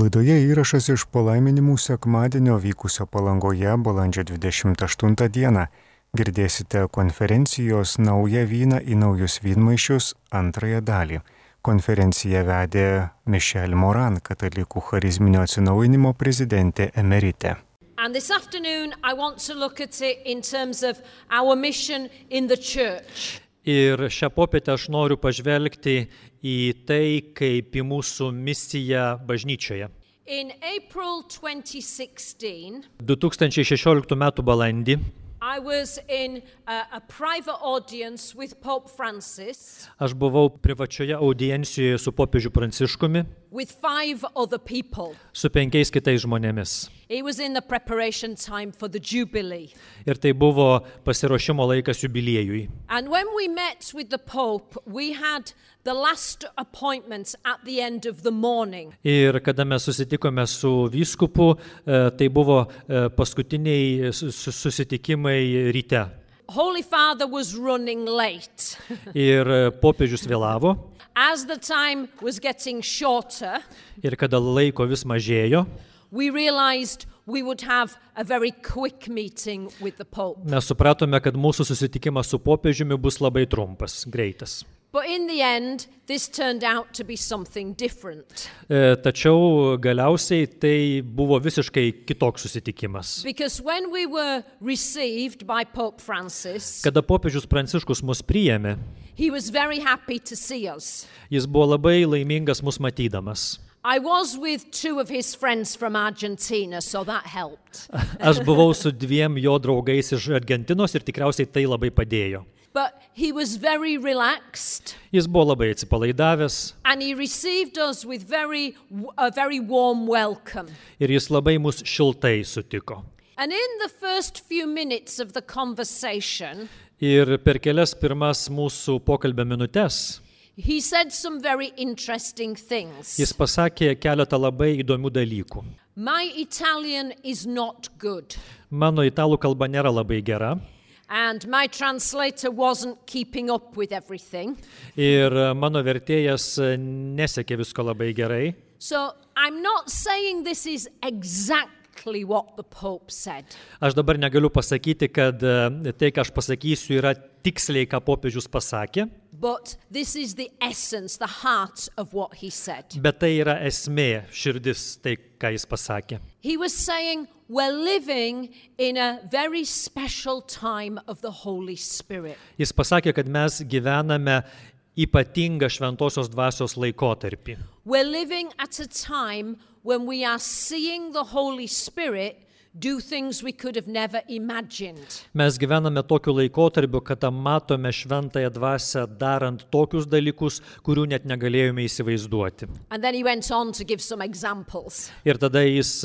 Laidoje įrašas iš palaiminimų sekmadienio vykusio Palangoje balandžio 28 dieną. Girdėsite konferencijos Naują vyną į naujus vynmaišius antrąją dalį. Konferenciją vedė Michelle Moran, katalikų charizminio atsinaujinimo prezidentė emeritė. And this afternoon I want to look at it in terms of our mission in the church. Ir šią popietę aš noriu pažvelgti į tai, kaip į mūsų misiją bažnyčioje. In April 2016, 2016 m. balandį I was in a private audience with Pope Francis aš buvau privačioje audiencijoje su popiežiu Pranciškumi, with 5 other people. su 5 kitais žmonėmis. It was in the preparation time for the Jubilee. Ir tai buvo pasiruošimo laikas jubiliejui. And when we met with the Pope, we had the last appointments at the end of the morning. Ir kada mes susitikome su vyskupu, tai buvo paskutiniai susitikimai ryte. Holy Father was running late. Ir popiežius vėlavo. As the time was getting shorter, Ir kada laiko vis mažėjo, we realized we would have a very quick meeting with the Pope. mes supratome, kad mūsų susitikimas su popiežiumi bus labai trumpas, greitas. But in the end, this turned out to be something different. Tačiau galiausiai tai buvo visiškai kitoks susitikimas. Because when we were received by Pope Francis, Kada popiežius Pranciškus mus priėmė, he was very happy to see us. jis buvo labai laimingas mus matydamas. I was with 2 of his friends from Argentina, so that helped. Aš buvau su 2 jo draugais iš Argentinos ir tikriausiai tai labai padėjo. But he was very relaxed, Jis buvo labai atsipalaidavęs and he received us with a very warm welcome. ir jis labai mus šiltai sutiko. And in the first few minutes of the conversation, Ir per kelias pirmas mūsų pokalbio minutes he said some very interesting things. jis pasakė keletą labai įdomių dalykų. My Italian is not good, Mano italų kalba nėra labai gera and my translator wasn't keeping up with everything. ir mano vertėjas nesekė visko labai gerai. So I'm not saying this is exactly what the Pope said. Aš dabar negaliu pasakyti, kad tai, ką aš pasakysiu, yra tiksliai, ką popiežius pasakė, But this is the essence, the heart of what he said. bet tai yra esmė, širdis, tai, ką jis pasakė. He was saying we're living in a very special time of the Holy Spirit. Jis pasakė, kad mes gyvename ypatingą šventosios dvasios laikotarpį. We're living at a time when we are seeing the Holy Spirit do things we could have never imagined. Mes gyvename tokiu laikotarpiu, kada matome šventąją dvasią darant tokius dalykus, kurių net negalėjome įsivaizduoti. And then he went on to give some examples. Ir tada jis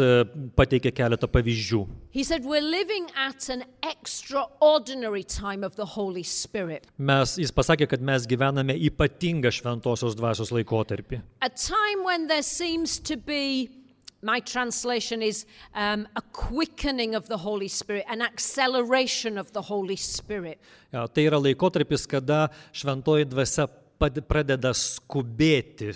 pateikė keletą pavyzdžių. He said we're living at an extraordinary time of the Holy Spirit. Jis pasakė, kad mes gyvename ypatingą šventosios dvasios laikotarpį. A time when there seems to be, my translation is a quickening of the Holy Spirit, an acceleration of the Holy Spirit. Tai yra laikotarpis, kada šventoji dvasia pradeda skubėti,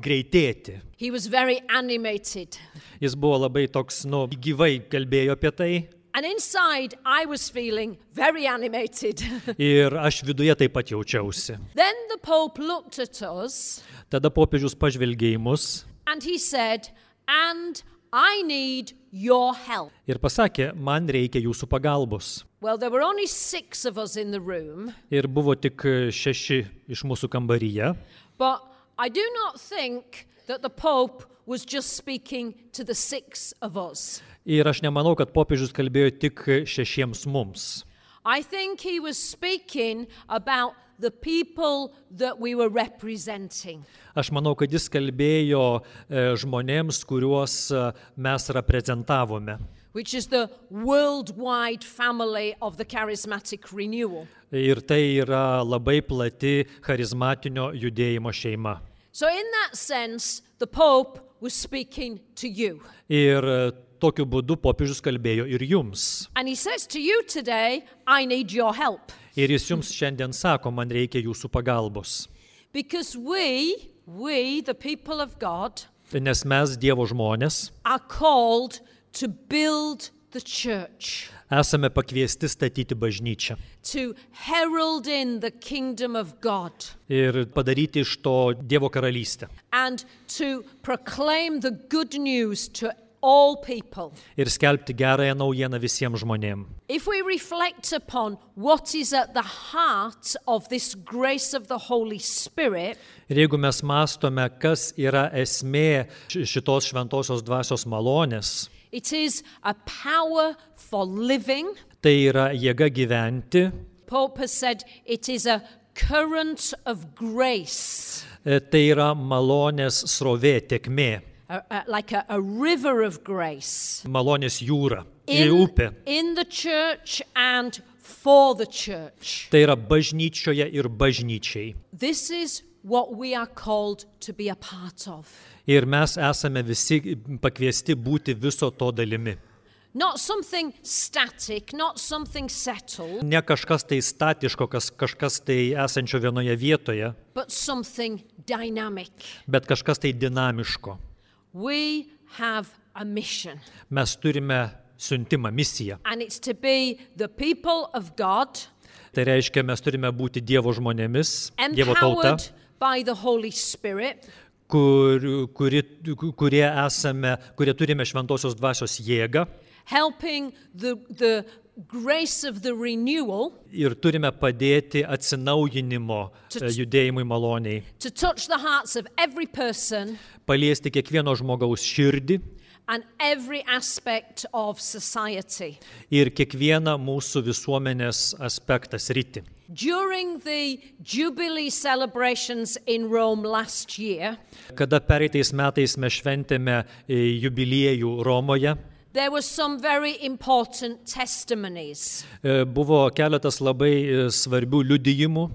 greitėti. He was very animated. Jis buvo labai toks, gyvai kalbėjo apie tai. And inside, I was feeling very animated. Ir aš viduje taip pat jaučiausi. Then the Pope looked at us. Tada popiežius pažvelgė į mus. And he said, and I need your help. Ir pasakė, man reikia jūsų pagalbos. Well, there were only 6 of us in the room. Ir buvo tik 6 iš mūsų kambaryje. But I do not think that the Pope was just speaking to the 6 of us. Ir aš nemanau, kad popiežius kalbėjo tik 6 mums. I think he was speaking about the people that we were representing. Aš manau, kad jis kalbėjo žmonėms, kuriuos mes reprezentavome. Which is the worldwide family of the charismatic renewal. Ir tai yra labai plati charizmatinio judėjimo šeima. So in that sense, the Pope was speaking to you. Ir tokiu būdu popiežius kalbėjo ir jums. And he says to you today, I need your help. Ir jis jums šiandien sako, man reikia jūsų pagalbos. Because we, the people of God, nes mes Dievo žmonės are called to build the church, esame pakviesti statyti bažnyčią to herald in the kingdom of God, ir padaryti iš to Dievo karalystę and to proclaim the good news to all people. ir skelbti gerąją naujieną visiems žmonėms. If we reflect upon what is at the heart of this grace of the Holy Spirit, Ir jeigu mes mąstome, kas yra esmė šitos šventosios dvasios malonės, it is a power for living. tai yra jėga gyventi, Pope has said it is a current of grace, tai yra malonės srovė, tėkmė, like a river of grace malonės jūra, upė. in the church and for the church. Tai yra bažnyčioje ir bažnyčiai. This is what we are called to be a part of. Ir mes esame visi pakviesti būti viso to dalimi. Not something static, not something settled, Ne kažkas tai statiško, kažkas tai esančio vienoje vietoje, but something dynamic. bet kažkas tai dinamiško. We have a mission, Mes turime siuntimą, misiją. and it's to be the people of God, Tai reiškia, mes turime būti Dievo žmonėmis, Dievo tauta, empowered by the Holy Spirit, kurie turime šventosios dvasios jėgą helping the grace of the renewal ir turime padėti atsinaujinimo judėjimui maloniai, to touch the hearts of every person paliesti kiekvieno žmogaus širdį and every aspect of society. ir kiekvieną mūsų visuomenės aspektą sritį. During the Jubilee celebrations in Rome last year, Kada pereitais metais mes šventėme jubiliejų Romoje, there were some very important testimonies. buvo keletas labai svarbių liudijimų.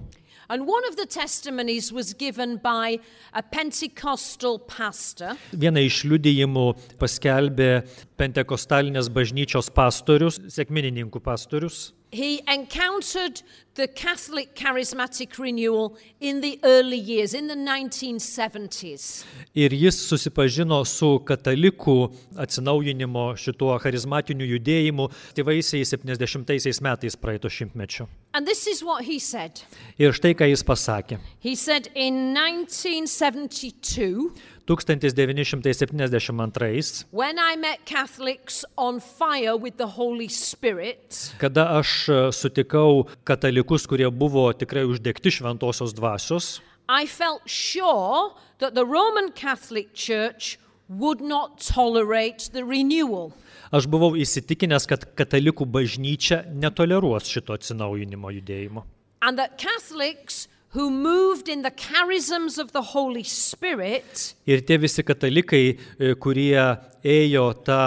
And one of the testimonies was given by a Pentecostal pastor Vieną iš liudijimų paskelbė Pentekostalinės bažnyčios pastorius, sekminininkų pastorius. He encountered the Catholic charismatic renewal in the early years, in the 1970s. Ir jis susipažino su katalikų atsinaujinimo šituo charizmatiniu judėjimu tėvaisiais 70 metais praeito šimtmečio. And this is what he said. Ir štai ką jis pasakė. He said in 1972, 1972, when I met Catholics on fire with the Holy Spirit, kada aš sutikau katalikus, kurie buvo tikrai uždegti šventosios dvasios, I felt sure that the Roman Catholic Church would not tolerate the renewal. aš buvau įsitikinęs, kad katalikų bažnyčia netoleruos šito atsinaujinimo judėjimo. And that Catholics who moved in the charisms of the Holy Spirit Ir tie visi katalikai, kurie ėjo tą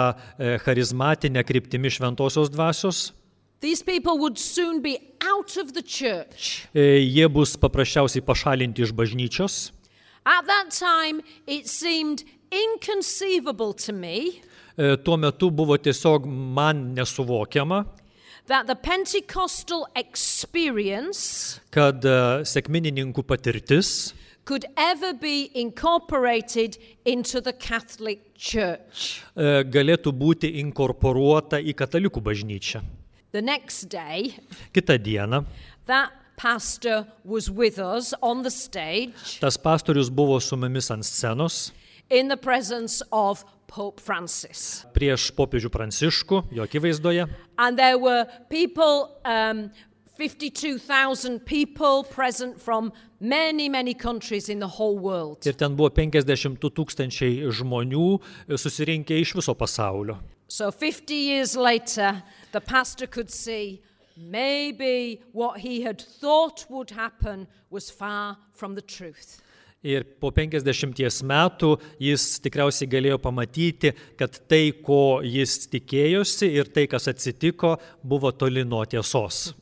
charizmatinę kryptimį šventosios dvasios, these people would soon be out of the church. jie bus paprasčiausiai pašalinti iš bažnyčios. At that time, it seemed inconceivable to me Tuo metu buvo tiesiog man nesuvokiama, that the Pentecostal experience kad sekminininkų patirtis could ever be incorporated into the Catholic Church. galėtų būti inkorporuota į katalikų bažnyčią. The next day, Kitą dieną that pastor was with us on the stage tas pastorius buvo su mumis ant scenos in the presence of Pope Francis. prieš popiežių Pranciškų, jo akivaizdoje. And there were people, 52,000 people present from many, many countries in the whole world. Ir ten buvo 52 000 žmonių susirinkę iš viso pasaulio. So 50 years later, the pastor could see maybe what he had thought would happen was far from the truth. Ir po 50 metų jis tikriausiai galėjo pamatyti, kad tai, ko jis tikėjosi ir tai, kas atsitiko, buvo toli nuo tiesos.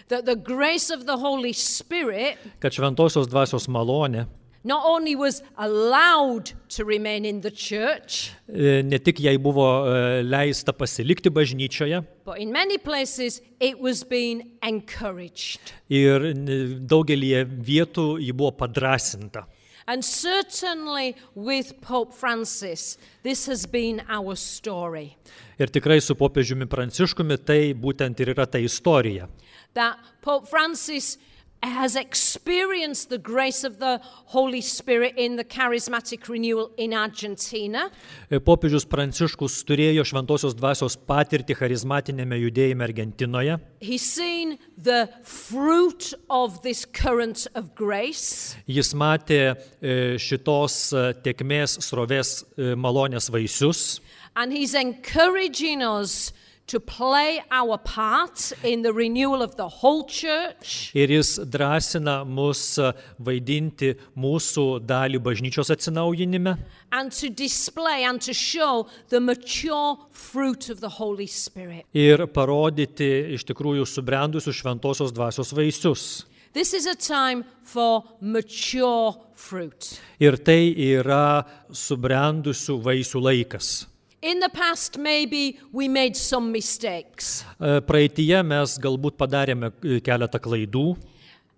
That the grace of the Holy Spirit Kad šventosios dvasios malonė not only was allowed to remain in the church, ne tik jai buvo leista pasilikti bažnyčioje, but in many places it was being encouraged. ir daugelį vietų ji buvo padrasinta. And certainly with Pope Francis, this has been our story. Ir tikrai su popiežiumi Pranciškumi tai būtent ir yra ta istorija. That Pope Francis has experienced the grace of the Holy Spirit in the charismatic renewal in Argentina. Popiežius Pranciškus turėjo šventosios dvasios patirtį charizmatinėme judėjime Argentinoje. He's seen the fruit of this current of grace. Jis matė šitos tėkmės srovės malonės vaisius. And he's encouraging us to play our part in the renewal of the whole church. Ir jis drąsina mus vaidinti mūsų dalį bažnyčios atsinaujinime. And to display and to show the mature fruit of the Holy Spirit. Ir parodyti iš tikrųjų subrendusių šventosios dvasios vaisius. This is a time for mature fruit. Ir tai yra subrendusių vaisių laikas. In the past, maybe we made some mistakes. Praeityje mes galbūt padarėme keletą klaidų.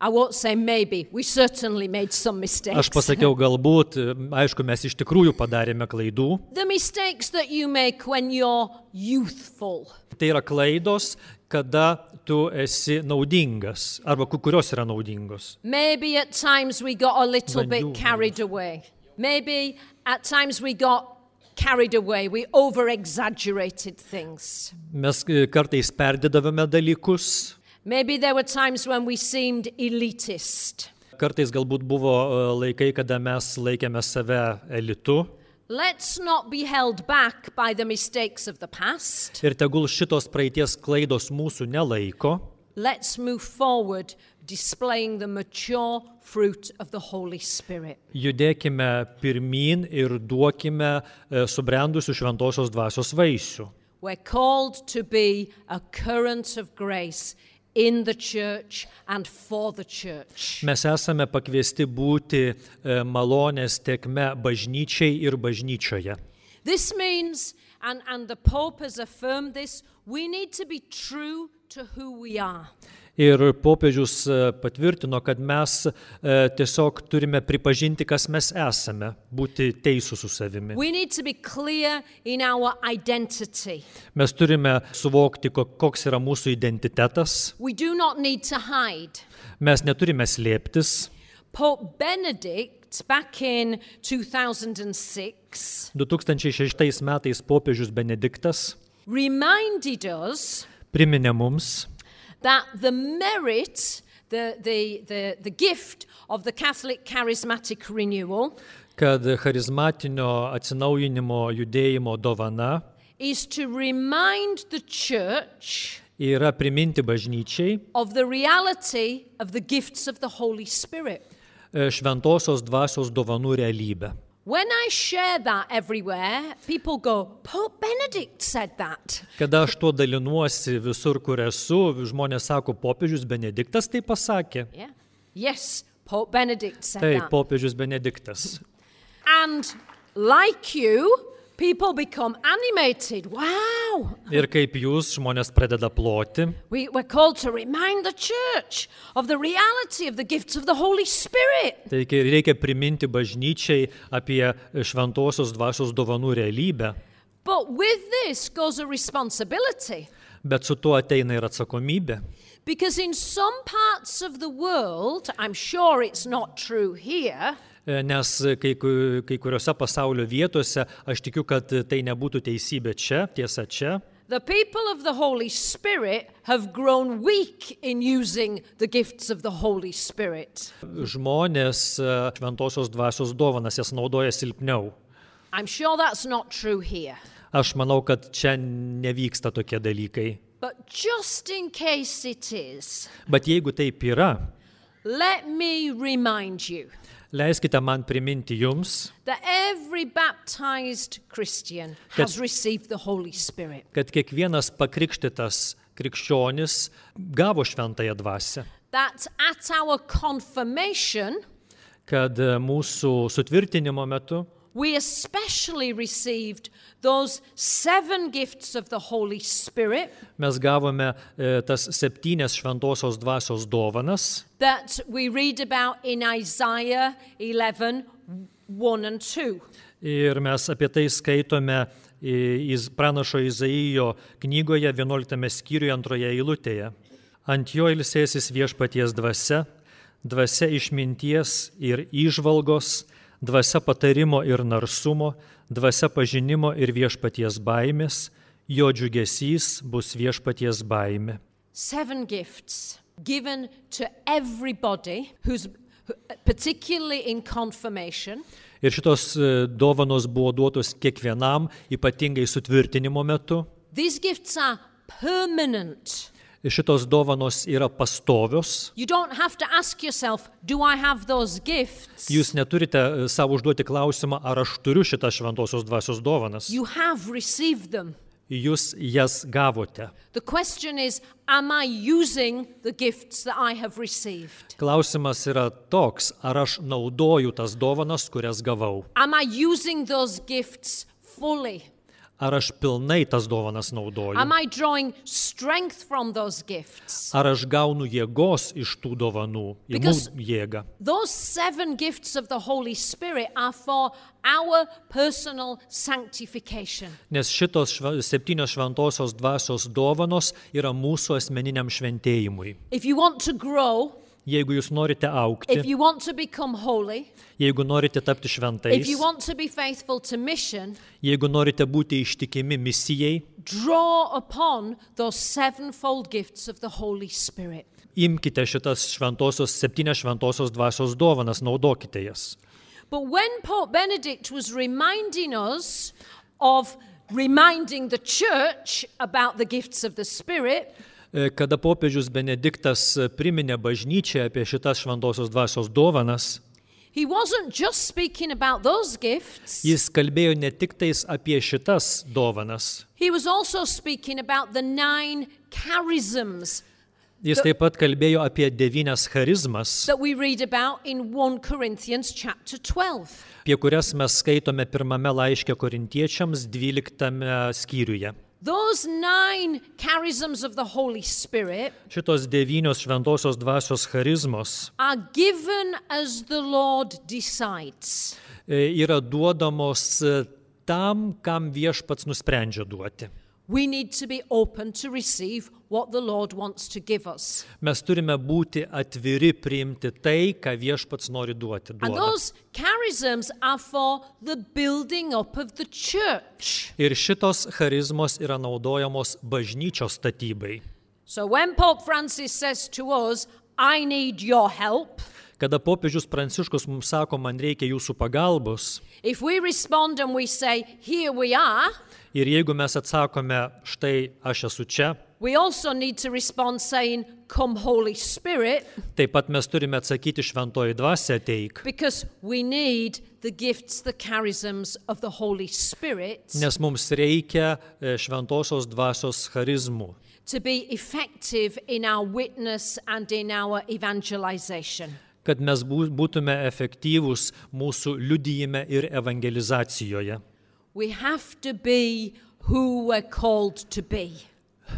I won't say maybe, we certainly made some mistakes. Aš pasakiau galbūt, aišku, mes iš tikrųjų padarėme klaidų. The mistakes that you make when you're youthful. Tai yra klaidos, kada tu esi naudingas, arba kurios yra naudingos. Maybe at times we got a little When you- bit carried away. Maybe at times we got carried away, we over-exaggerated things. Mes kartais perdedavome dalykus, Maybe there were times when we seemed elitist. kartais galbūt buvo laikai, kada mes laikėme save elitu. Let's not be held back by the mistakes of the past. Ir tegul šitos praeities klaidos mūsų nelaiko. Let's move forward, displaying the mature fruit of the Holy Spirit. Judėkime pirmyn ir duokime subrendusių šventosios dvasios vaisių. We're called to be a current of grace in the church and for the church. Mes esame pakviesti būti malonės tėkme bažnyčiai ir bažnyčioje. This means, and the Pope has affirmed this, we need to be true to who we are. Ir popiežius patvirtino, kad mes tiesiog turime pripažinti, kas mes esame, būti teisūs su savimi. We need to be clear in our identity. Mes turime suvokti, koks yra mūsų identitetas. We do not need to hide. Mes neturime slėptis. Pope Benedict, back in 2006, 2006 metais popiežius Benediktas reminded us priminė mums, that the merit, the gift of the Catholic charismatic renewal kad charizmatinio atsinaujinimo judėjimo dovana is to remind the church yra priminti bažnyčiai of the reality of the gifts of the Holy Spirit. šventosios dvasios dovanų realybę. When I share that everywhere, people go, Pope Benedict said that. Kada aš tuo dalinuosi visur, kur esu, žmonės sako, popiežius Benediktas tai pasakė. Yeah. Yes, Pope Benedict said Taip, that. popiežius Benediktas. And like you, people become animated. Wow! Ir kaip jūs, žmonės pradeda ploti. We're called to remind the church of the reality of the gifts of the Holy Spirit. Taigi reikia priminti bažnyčiai apie šventosios dvasios dovanų realybę. But with this goes a responsibility. Bet su tuo ateina ir atsakomybė. Because in some parts of the world, I'm sure it's not true here, Nes kai kuriuose pasaulio vietose, aš tikiu, kad tai nebūtų teisybė čia, tiesa čia. the people of the Holy Spirit have grown weak in using the gifts of the Holy Spirit. Žmonės šventosios dvasios dovanas jas naudoja silpniau. I'm sure that's not true here. Aš manau, kad čia nevyksta tokie dalykai. But just in case it is, Bet jeigu taip yra, let me remind you leiskite man priminti jums, that every baptized Christian has received the Holy Spirit. kad kiekvienas pakrikštytas krikščionis gavo šventąją dvasią. That at our confirmation, Kad mūsų sutvirtinimo metu we especially received those 7 gifts of the Holy Spirit Mes gavome tas 7 šventosios dvasios dovanas, that we read about in Isaiah 11, 1 and 2. ir mes apie tai skaitome pranašo Izaijo knygoje 11 skyriuje 2 eilutėje. Ant jo ilsėsis viešpaties dvasia, dvasia išminties ir įžvalgos, dvasia patarimo ir narsumo, dvasia pažinimo ir viešpaties baimės, jo džiugesys bus viešpaties baimė. 7 gifts given to everybody who's particularly in confirmation. Ir šitos dovanos buvo duotos kiekvienam, ypatingai sutvirtinimo metu. These gifts are permanent. Šitos dovanos yra pastovios. You don't have to ask yourself, do I have those gifts? Jūs neturite savo užduoti klausimą, ar aš turiu šitas šventosios dvasios dovanas. You have received them. Jūs jas gavote. The question is, am I using the gifts that I have received? Klausimas yra toks, ar aš naudoju tas dovanas, kurias gavau. Am I using those gifts fully? Ar aš pilnai tas dovanas naudoju? Am I drawing strength from those gifts? Ar aš gaunu jėgos iš tų dovanų, imu Because- jėgą? Those 7 gifts of the Holy Spirit are for our personal sanctification. Nes šitos 7 šventosios dvasios dovanos yra mūsų asmeniniam šventėjimui. If you want to grow, Jeigu jūs norite augti, if you want to become holy, jeigu norite tapti if šventais, you want to be faithful to mission, jeigu norite būti ištikimi misijai, draw upon those 7-fold gifts of the Holy Spirit. imkite šitas 7 šventosios dvasios dovanas, naudokite jas. But when Pope Benedict was reminding us of reminding the church about the gifts of the Spirit, Kada popiežius Benediktas priminė bažnyčią apie šitas šventosios dvasios dovanas, he wasn't just speaking about those gifts. jis kalbėjo ne tik tais apie šitas dovanas. He was also speaking about the 9 charisms Jis taip pat kalbėjo apie 9 charizmas, that we read about in 1 Corinthians chapter 12. apie kurias mes skaitome pirmame laiške Korintiečiams 12 skyriuje. Those 9 charisms of the Holy Spirit Šitos 9 šventosios dvasios charizmos are given as the Lord decides. yra duodamos tam, kam viešpats nusprendžia duoti. We need to be open to receive what the Lord wants to give us. Mes turime būti atviri priimti tai, ką viešpats nori duoti. And Duoda. those charisms are for the building up of the church. Ir šitos charizmos yra naudojamos bažnyčios statybai. So when Pope Francis says to us, I need your help, Kada popiežius Pranciškus mums sako, man reikia jūsų pagalbos, if we respond and we say, here we are, ir jeigu mes atsakome, štai aš esu čia, we also need to respond saying, come Holy Spirit, taip pat mes turime atsakyti šventoji dvasia ateik, because we need the gifts, the charisms of the Holy Spirit nes mums reikia šventosios dvasios charizmų, to be effective in our witness and in our evangelization. kad mes būtume efektyvūs mūsų liudijime ir evangelizacijoje. We have to be who we're called to be.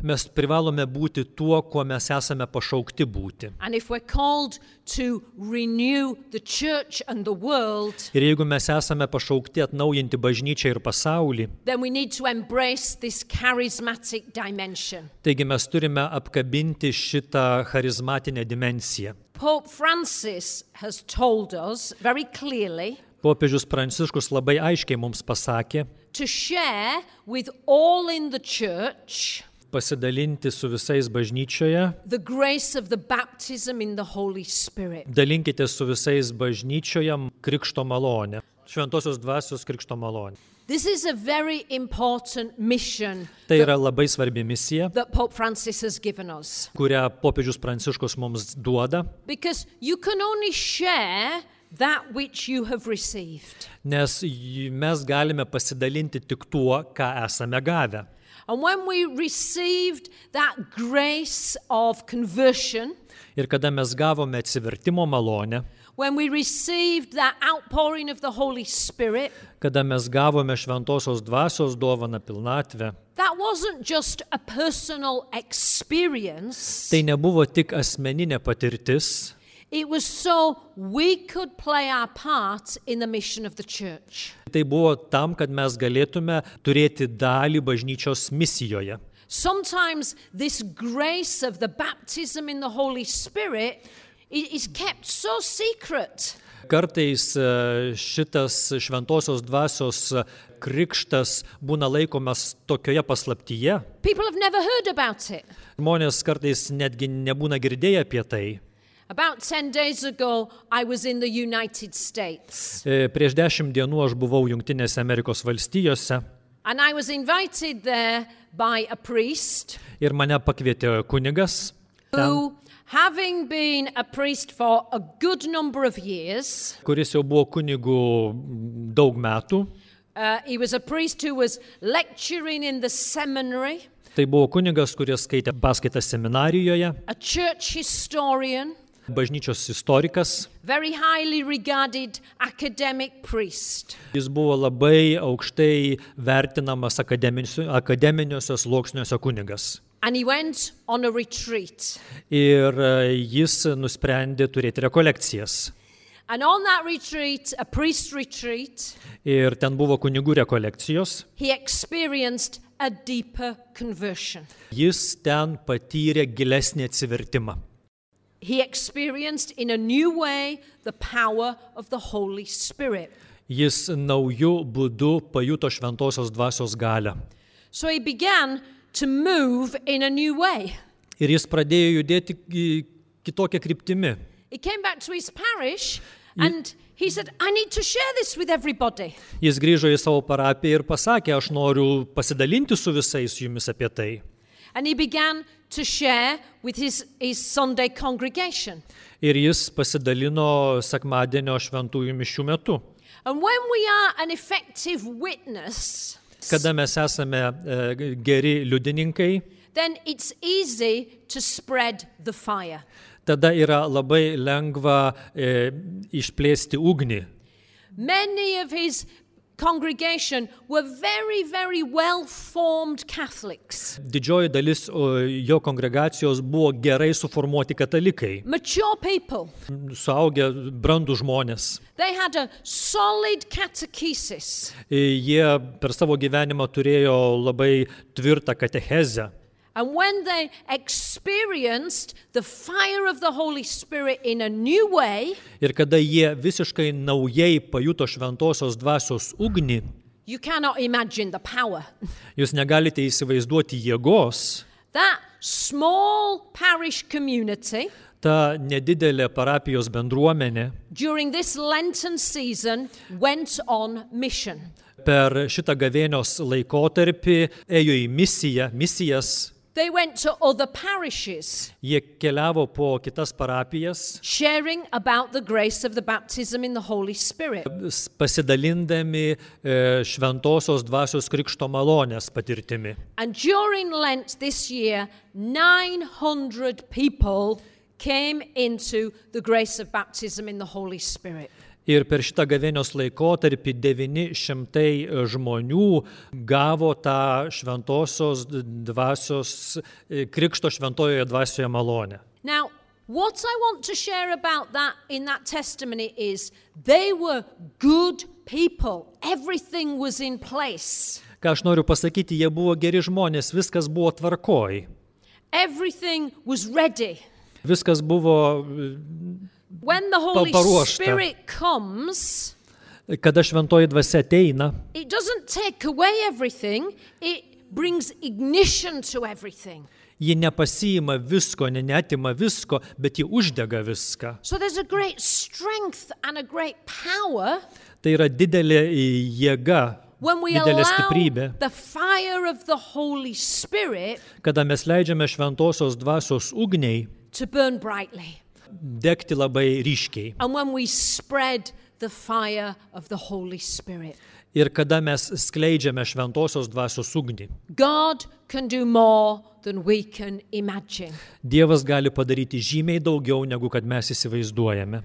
Mes privalome būti tuo, kuo mes esame pašaukti būti. And if we're called to renew the church and the world, Ir jeigu mes esame pašaukti atnaujinti bažnyčią ir pasaulį, then we need to embrace this charismatic dimension. taigi mes turime apkabinti šitą charizmatinę dimensiją. Pope Francis has told us very clearly Popiežius Pranciškus labai aiškiai mums pasakė, to share with all in the church pasidalinti su visais bažnyčioje, the grace of the baptism in the Holy Spirit. dalinkite su visais bažnyčioje krikšto malonę, šventosios dvasios krikšto malonę. This is a very important mission Tai yra labai svarbi misija, that Pope Francis has given us. kurią popiežius Pranciškus mums duoda, Because you can only share that which you have received. nes mes galime pasidalinti tik tuo, ką esame gavę. And when we received that grace of conversion, Ir kada mes gavome atsivertimo malonę, when we received that outpouring of the Holy Spirit, kada mes gavome šventosios dvasios dovaną pilnatvę, that wasn't just a personal experience. tai nebuvo tik asmeninė patirtis, It was so we could play our part in the mission of the church. tai buvo tam, kad mes galėtume turėti dalį bažnyčios misijoje. Sometimes this grace of the baptism in the Holy Spirit is kept so secret. Kartais šitas šventosios dvasios krikštas būna laikomas tokioje paslaptyje. People have never heard about it. Žmonės kartais netgi nebūna girdėję apie tai. About 10 days ago, I was in the United States. Prieš 10 dienų aš buvau Jungtinėse Amerikos valstijose And I was invited there by a priest ir mane pakvietė kunigas, who, having been a priest for a good number of years, kuris jau buvo kunigu daug metų. he was a priest who was lecturing in the seminary, Tai buvo kunigas, kuris skaitė paskaitą seminarijoje, a church historian, bažnyčios istorikas. very highly regarded academic priest. Jis buvo labai aukštai vertinamas akademiniuose sluoksniuose kunigas. And he went on a retreat. Ir jis nusprendė turėti rekolekcijas. And on that retreat, a priest retreat, Ir ten buvo kunigų rekolekcijos. he experienced a deeper conversion. Jis ten patyrė gilesnį atsivertimą. He experienced in a new way the power of the Holy Spirit. Jis naujų būdų pajuto šventosios dvasios galią. So he began to move in a new way. Ir jis pradėjo judėti kitokią kryptimį. He came back to his parish and he said, I need to share this with everybody. Jis grįžo į savo parapiją ir pasakė, aš noriu pasidalinti su visais jumis apie tai. And he began to share with his Sunday congregation. Ir jis pasidalino sekmadienio šventųjų mišių metu. And when we are an effective witness, Kada mes esame geri liudininkai, then it's easy to spread the fire. tada yra labai lengva išplėsti ugnį. Many of his congregation were very, very well-formed Catholics, Didžioji dalis jo kongregacijos buvo gerai suformuoti katalikai, mature people. suaugę brandų žmonės. They had a solid catechesis. Jie per savo gyvenimą turėjo labai tvirtą katechezę. And when they experienced the fire of the Holy Spirit in a new way, Ir kada jie visiškai naujai pajuto šventosios dvasios ugnį, you cannot imagine the power. jūs negalite įsivaizduoti jėgos. That small parish community Ta nedidelė parapijos bendruomenė during this Lenten season went on mission. per šitą gavėnios laikotarpį ėjo į misijas. They went to other parishes, Jie keliavo po kitas parapijas, sharing about the grace of the baptism in the Holy Spirit. pasidalindami šventosios dvasios krikšto malonės patirtimi. And during Lent this year, 900 people came into the grace of baptism in the Holy Spirit. Ir per šitą gavėnios laikotarpį 900 žmonių gavo tą šventosios dvasios, krikšto šventojoje dvasioje malonę. Now, what I want to share about that in that testimony is they were good people. Everything was in place. Ką aš noriu pasakyti, jie buvo geri žmonės, viskas buvo tvarkoj. Everything was ready. Viskas buvo, When the Holy paruošta. Spirit comes, kada šventoji dvasia ateina, it doesn't take away everything, it brings ignition to everything. ji nepasiima visko, neatima visko, bet ji uždega viską. So there's a great strength and a great power Tai yra didelė jėga, when we didelė allow stiprybė, the fire of the Holy Spirit kada mes leidžiame šventosios dvasios ugniai to burn brightly. degti labai ryškiai. And when we spread the fire of the Holy Spirit. Ir kada mes skleidžiame šventosios dvasios ugnį. God can do more than we can imagine. Dievas gali padaryti žymiai daugiau, negu kad mes įsivaizduojame.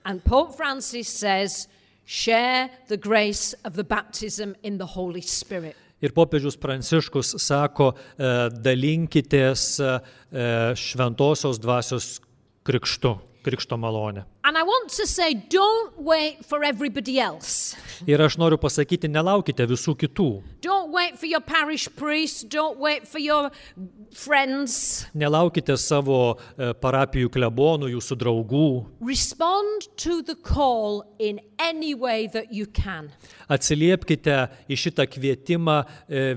And Pope Francis says, share the grace of the baptism in the Holy Spirit. Ir popiežius Pranciškus sako, dalinkitės šventosios dvasios krikštu, krikšto malonę. And I want to say, don't wait for everybody else. Ir aš noriu pasakyti, nelaukite visų kitų. Don't wait for your parish priest. Don't wait for your friends. Nelaukite savo parapijų klebonų, jūsų draugų. Respond to the call in any way that you can. Atsiliepkite į šitą kvietimą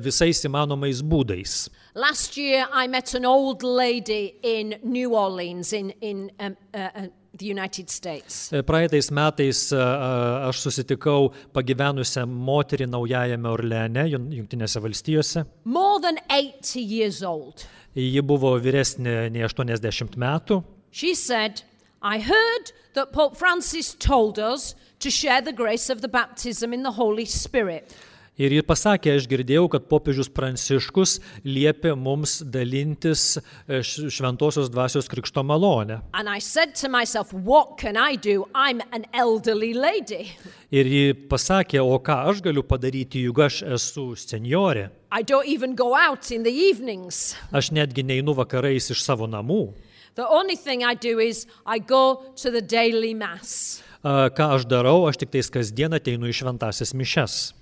visais įmanomais būdais. Last year, I met an old lady in New Orleans in the United States. Praeitais metais aš susitikau pagyvenusią moterį Naujajame Orleane, Jungtinėse valstijose. More than 80 years old. Ji buvo vyresnė nei 80 metų. She said, I heard that Pope Francis told us to share the grace of the baptism in the Holy Spirit. Ir ji pasakė, aš girdėjau, kad popiežius Pranciškus liepė mums dalintis šventosios dvasios krikšto malonę. And I said to myself, what can I do? I'm an elderly lady. Ir ji pasakė, o ką aš galiu padaryti, juk aš esu senjorė. I don't even go out in the evenings. Aš netgi neinu vakarais iš savo namų. The only thing I do is I go to the daily mass. Ką aš darau, aš tik tais kasdien ateinu į šventąsias mišias.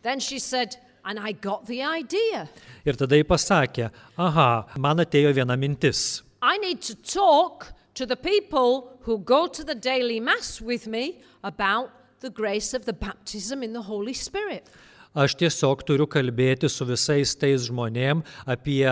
Then she said, and I got the idea. Ir tada ji pasakė, aha, man atėjo viena mintis. I need to talk to the people who go to the daily mass with me about the grace of the baptism in the Holy Spirit. Aš tiesiog turiu kalbėti su visais tais žmonėm apie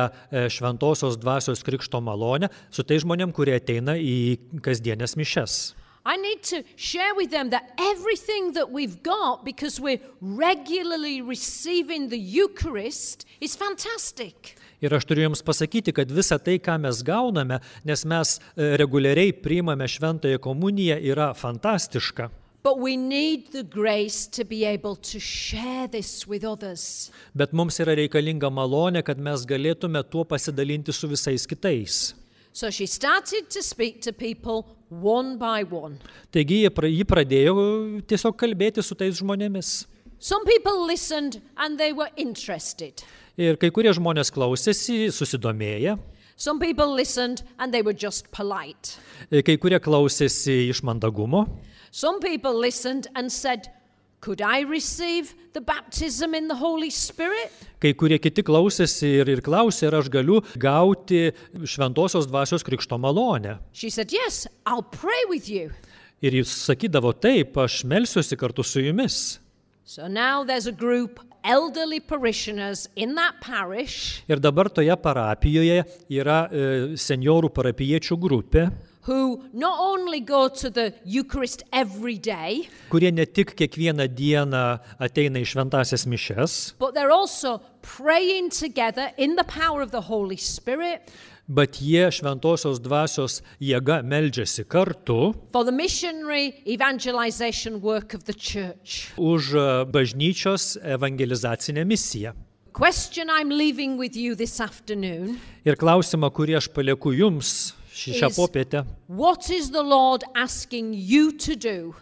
šventosios dvasios krikšto malonę, su tais žmonėm, kurie ateina į kasdienės mišias. I need to share with them that everything that we've got, because we're regularly receiving the Eucharist, is fantastic. Ir aš turiu jums pasakyti, kad visa tai, ką mes gauname, nes mes reguliariai priimame šventąją komuniją, yra fantastiška. But we need the grace to be able to share this with others. Bet mums yra reikalinga malonė, kad mes galėtume tuo pasidalinti su visais kitais. So she started to speak to people one by one. Taigi ji pradėjo tiesiog kalbėti su tais žmonėmis. Some people listened and they were interested. Ir kai kurie žmonės klausėsi, susidomėję. Some people listened and they were just polite. Kai kurie klausėsi iš mandagumo. Some people listened and said, could I receive the baptism in the Holy Spirit? Kai kurie kiti klausėsi ir klausė, ar aš galiu gauti šventosios dvasios krikšto malonę. She said, yes, I'll pray with you. Ir jis sakydavo, taip, aš melsiuosi kartu su jumis. So now there's a group elderly parishioners in that parish. Ir dabar toje parapijoje yra senjorų parapijiečių grupė, who not only go to the Eucharist every day, kurie ne tik kiekvieną dieną ateina į šventąsias mišias, but they're also praying together in the power of the Holy Spirit. Bet jie šventosios dvasios jėga meldžiasi kartu for the missionary evangelization work of the church. Už bažnyčios evangelizacinę misiją. Question I'm leaving with you this afternoon. Ir klausimą, kurį aš palieku jums šią popietę. What is the Lord asking you to do?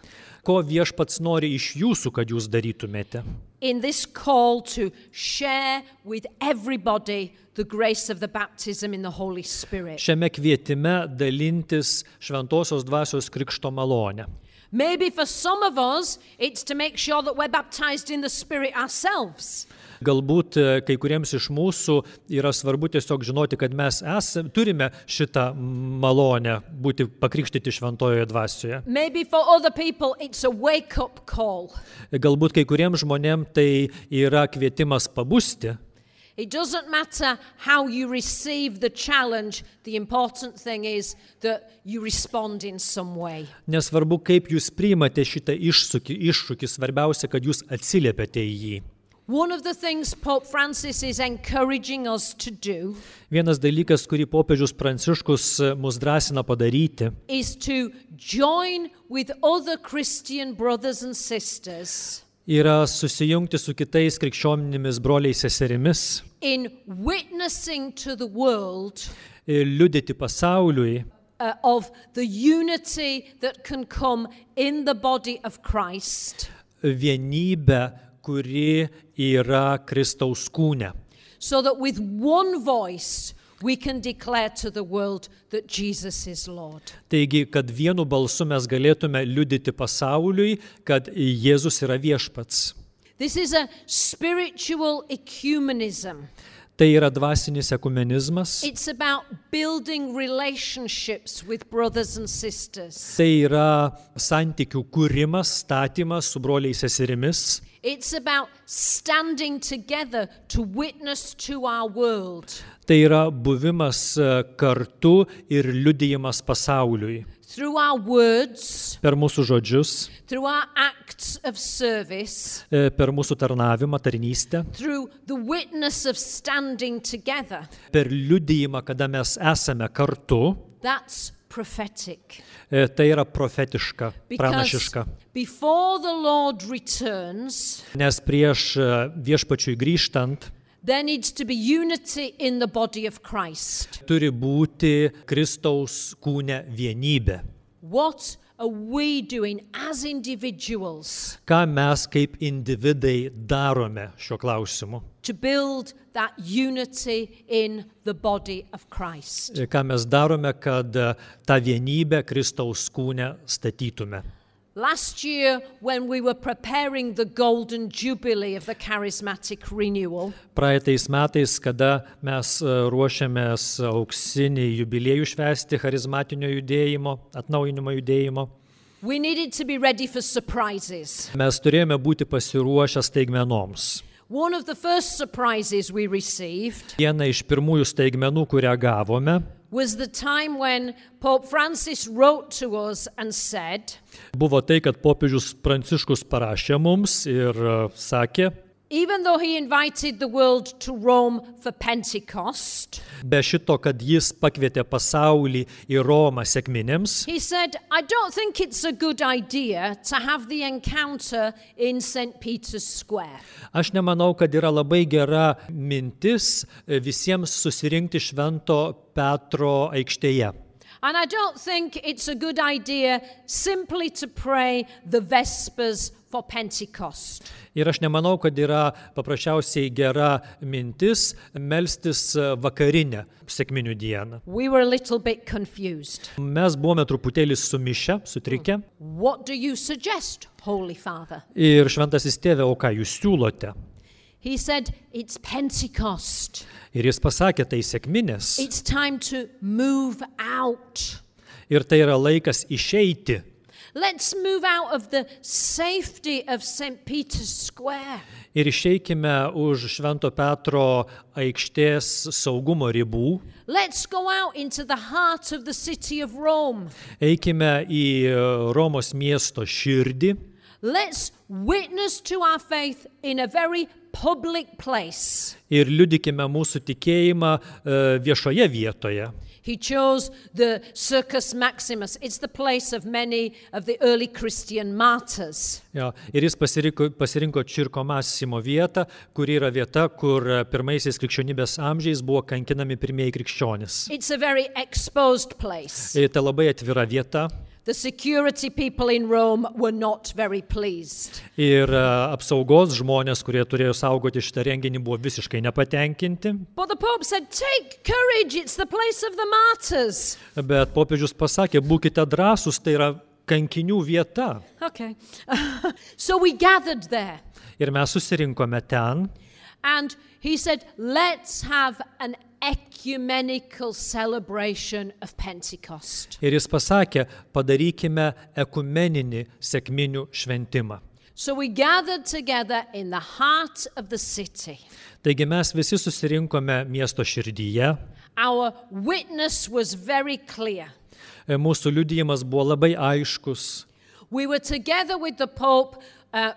Ko viešpats nori iš jūsų, kad jūs darytumėte? In this call to share with everybody the grace of the baptism in the Holy Spirit. Šiame kvietime dalintis šventosios dvasios krikšto malonę. Maybe for some of us it's to make sure that we're baptized in the Spirit ourselves. Galbūt kai kuriems iš mūsų yra svarbu tiesiog žinoti, kad mes turime šitą malonę būti pakrikštyti šventojoje dvasioje. Maybe for other people it's a wake-up call. Galbūt kai kuriems žmonėms tai yra kvietimas pabusti. It doesn't matter how you receive the challenge, the important thing is that you respond in some way. Nesvarbu, kaip jūs priimate šitą iššūkį, svarbiausia, kad jūs atsiliepiate į jį. One of the things Pope Francis is encouraging us to do Vienas dalykas, kurį popiežius Pranciškus mus drąsina padaryti, is to join with other Christian brothers and sisters yra susijungti su kitais krikščionimis broliais seserimis, in witnessing to the world liudyti pasauliui of the unity that can come in the body of Christ. Vienybę, kuri yra Kristaus kūne. So that with one voice we can declare to the world that Jesus is Lord. Taigi, kad vienu balsu mes galėtume liudyti pasauliui, kad Jėzus yra viešpats. This is a spiritual ecumenism. Tai yra dvasinis ekumenizmas. It's about building relationships with brothers and sisters. Tai yra santykių kūrimas, statymas su broliais seserimis. It's about standing together to witness to our world. Tai yra buvimas kartu ir liudijimas pasauliui. Through our words, Per mūsų žodžius, through our acts of service, per mūsų tarnavimą, tarnystę, through the witness of standing together. per liudijimą, kada mes esame kartu. That's prophetic. Tai yra profetiška, Because pranašiška. before the Lord returns, Nes prieš viešpačiui grįžtant there needs to be unity in the body of Christ. turi būti Kristaus kūne vienybė. What are we doing as individuals Ką mes kaip individai darome šiuo klausimu? to build that unity in the body of Christ? Ką mes darome, kad tą vienybę Kristaus kūne statytume? Last year, when we were preparing the Golden Jubilee of the Charismatic Renewal, Praeitais metais, kada mes ruošiamės auksinį jubiliejų švęsti charizmatinio judėjimo, atnaujinimo judėjimo, we needed to be ready for surprises. mes turėjome būti pasiruošę staigmenoms. One of the first surprises we received Viena iš pirmųjų staigmenų, kurią gavome, was the time when Pope Francis wrote to us and said, buvo tai, kad popiežius Pranciškus parašė mums ir sakė, even though he invited the world to Rome for Pentecost, be šito, kad jis pakvietė pasaulį į Romą sekminėms, he said, I don't think it's a good idea to have the encounter in St. Peter's Square. aš nemanau, kad yra labai gera mintis visiems susirinkti Švento Petro aikštėje. And I don't think it's a good idea simply to pray the Vespers for Pentecost. Ir aš nemanau, kad yra paprasčiausiai gera mintis melstis vakarinę sekminių dieną. We were a little bit confused. Mes buvome truputėlį sumišę, sutrikę. What do you suggest, Holy Father? Ir šventasis tėve, o ką jūs siūlote? He said, it's Pentecost. Ir jis pasakė, tai sekminės. It's time to move out. Ir tai yra laikas išeiti. Let's move out of the safety of St. Peter's Square. Ir išeikime už Švento Petro aikštės saugumo ribų. Let's go out into the heart of the city of Rome. Eikime į Romos miesto širdį. Let's witness to our faith in a very public place. Ir liudykime mūsų tikėjimą viešoje vietoje. He chose the Circus Maximus. It's the place of many of the early Christian martyrs. Ja, ir jis pasirinko Circo Massimo vietą, kuri yra vieta, kur pirmaisiais krikščionybės amžiais buvo kankinami pirmieji krikščionys. It's a very exposed place. Tai labai atvira vieta. The security people in Rome were not very pleased. Ir apsaugos žmonės, kurie turėjo saugoti šitą renginį, buvo visiškai nepatenkinti. But the Pope said, take courage, it's the place of the martyrs. Bet popiežius pasakė, būkite drąsūs, tai yra kankinių vieta. Okay. So we gathered there. Ir mes susirinkome ten. And he said, let's have an ecumenical celebration of Pentecost. Ir jis pasakė, padarykime ekumeninį sekminių šventimą. So we gathered together in the heart of the city. Taigi mes visi susirinkome miesto širdyje. Our witness was very clear. Mūsų liudijimas buvo labai aiškus. We were together with the Pope,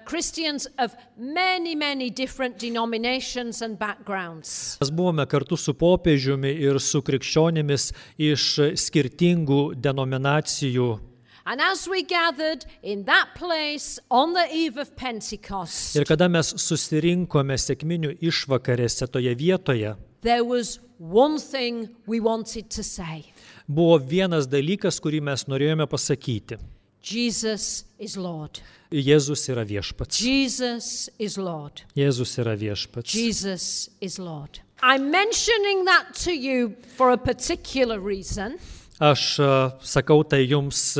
Christians of many different denominations and backgrounds. Mes buvome kartu su popiežiumi ir su krikščionimis iš skirtingų denominacijų. And as we gathered in that place on the eve of Pentecost, Ir kada mes susirinkome sekminių išvakarėse toje vietoje, there was one thing we wanted to say. Buvo vienas dalykas, kurį mes norėjome pasakyti. Jesus is Lord. Jėzus yra viešpats. Jesus is Lord. Jėzus yra viešpats. Jesus is Lord. I'm mentioning that to you for a particular reason. Aš sakau tai jums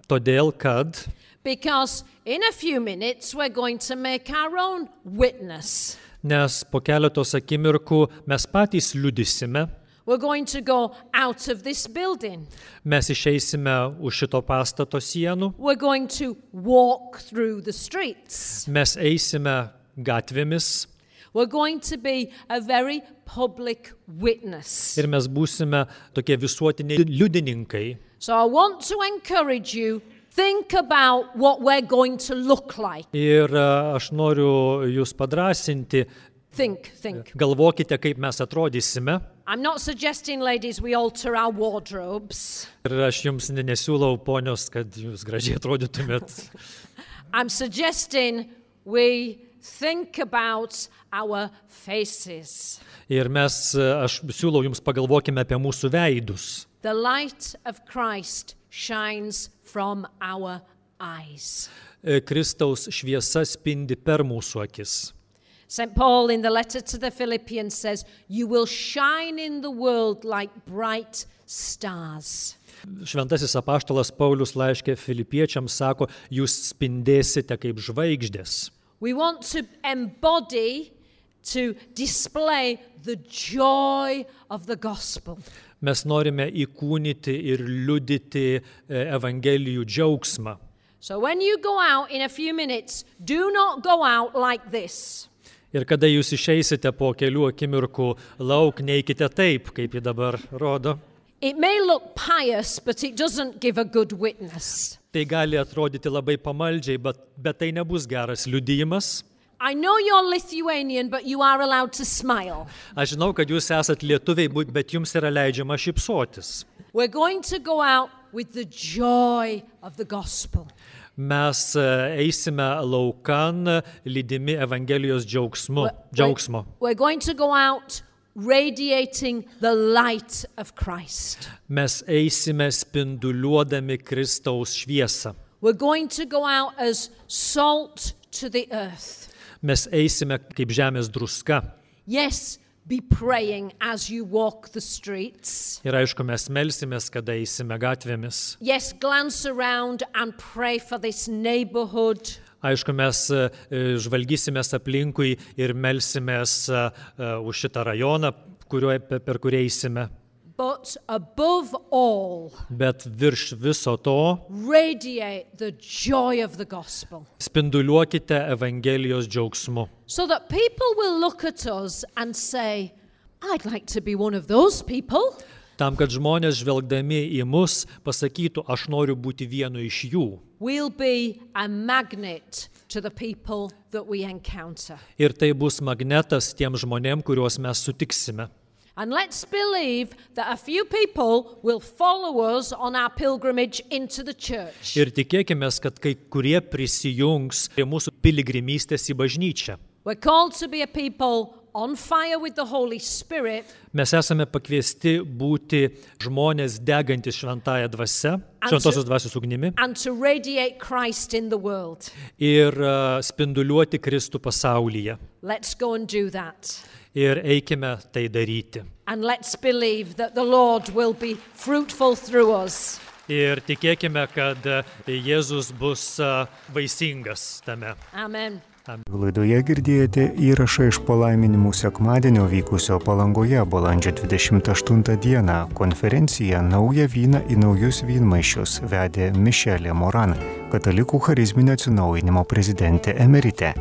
todėl, kad Because in a few minutes we're going to make our own witness. nes po keletos akimirkų mes patys liudysime, We're going to go out of this building. mes išeisime už šito pastato sienų, We're going to walk through the streets. mes eisime gatvėmis We're going to be a very public witness. ir mes būsime tokie visuotiniai liudininkai. So I want to encourage you, think about what we're going to look like. Ir aš noriu jūs padrąsinti, Think. galvokite, kaip mes atrodysime. I'm not suggesting, ladies, we alter our wardrobes. Ir aš jums nesiūlau, ponios, kad jūs gražiai atrodytumėt. I'm suggesting we think about our faces. Ir aš siūlau jums pagalvokime apie mūsų veidus. The light of Christ shines from our eyes. Kristaus šviesa spindi per mūsų akis. St. Paul in the letter to the Philippians says, you will shine in the world like bright stars. Šventasis apaštalas Paulius laiške Filipiečiams sako, jūs spindėsite kaip žvaigždės. We want to embody, to display the joy of the gospel. Mes norime įkūnyti ir liudyti evangelijų džiaugsmą. So when you go out in a few minutes, do not go out like this. Ir kada jūs išeisite po kelių akimirkų lauk, neikite taip, kaip ji dabar rodo. It may look pious, but it doesn't give a good witness. Tai gali atrodyti labai pamaldžiai, bet tai nebus geras liudijimas. I know you're Lithuanian, but you are allowed to smile. Aš žinau, kad jūs esat lietuviai, bet jums yra leidžiama šypsotis. We're going to go out with the joy of the gospel. Mes eisime laukan lydimi Evangelijos džiaugsmo. We're going to go out radiating the light of Christ. Mes eisime spinduliuodami Kristaus šviesą. We're going to go out as salt to the earth. Mes eisime kaip žemės druska. Yes, be praying as you walk the streets. Ir aišku, mes melsimės, kada eisime gatvėmis. Yes, glance around and pray for this neighborhood. Aišku, mes žvalgysimės aplinkui ir melsimės už šitą rajoną, per kurį eisime. But above all, Bet virš viso to radiate the joy of the gospel. Spinduliuokite Evangelijos džiaugsmu. So that people will look at us and say, I'd like to be one of those people. Tam, kad žmonės žvelgdami į mus pasakytų, aš noriu būti vienu iš jų. We'll be a magnet to the people that we encounter. Ir tai bus magnetas tiem žmonėm, kuriuos mes sutiksime. And let's believe that a few people will follow us on our pilgrimage into the church. Ir tikėkime, kad kai kurie prisijungs prie mūsų piligrimystės į bažnyčią. We're called to be a people on fire with the Holy Spirit. Mes esame pakviesti būti žmonės degantis šventąją dvasią, šventosios dvasios ugnimi. And to radiate Christ in the world. Ir spinduliuoti Kristų pasaulyje. Let's go and do that. Ir eikime tai daryti. And let's believe that the Lord will be fruitful through us. Ir tikėkime, kad Jėzus bus vaisingas tame. Amen. Laidoje girdėjote įrašą iš palaiminimų sekmadienio vykusio Palangoje balandžio 28 dieną. Konferenciją Naują vyną į naujus vynmaišius vedė Mišelė Moran, katalikų charizminio atsinaujinimo prezidentė emeritė.